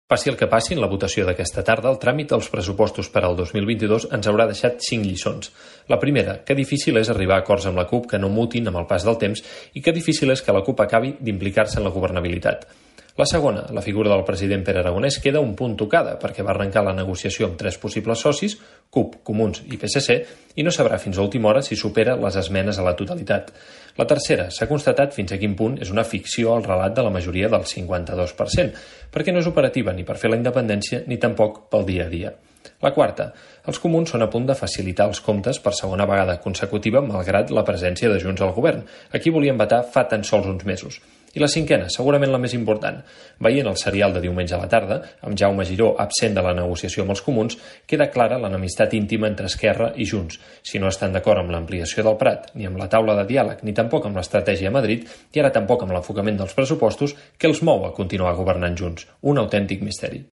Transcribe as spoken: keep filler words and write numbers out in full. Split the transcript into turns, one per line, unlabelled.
Passi el que passi en la votació d'aquesta tarda, el tràmit dels pressupostos per al dos mil vint-i-dos ens haurà deixat cinc lliçons. La primera, que difícil és arribar a acords amb la CUP que no mutin amb el pas del temps i que difícil és que la CUP acabi d'implicar-se en la governabilitat. La segona, la figura del president Pere Aragonès queda un punt tocada perquè va arrencar la negociació amb tres possibles socis, CUP, Comuns i P S C, i no sabrà fins a última hora si supera les esmenes a la totalitat. La tercera, s'ha constatat fins a quin punt és una ficció el relat de la majoria del cinquanta-dos per cent, perquè no és operativa ni per fer la independència ni tampoc pel dia a dia. La quarta, els comuns són a punt de facilitar els comptes per segona vegada consecutiva malgrat la presència de Junts al govern, a qui volien vetar fa tan sols uns mesos. I la cinquena, segurament la més important. Veient el serial de diumenge a la tarda, amb Jaume Giró absent de la negociació amb els comuns, queda clara l'enemistat íntima entre Esquerra i Junts. Si no estan d'acord amb l'ampliació del Prat, ni amb la taula de diàleg, ni tampoc amb l'estratègia a Madrid, i ara tampoc amb l'enfocament dels pressupostos, què els mou a continuar governant junts? Un autèntic misteri.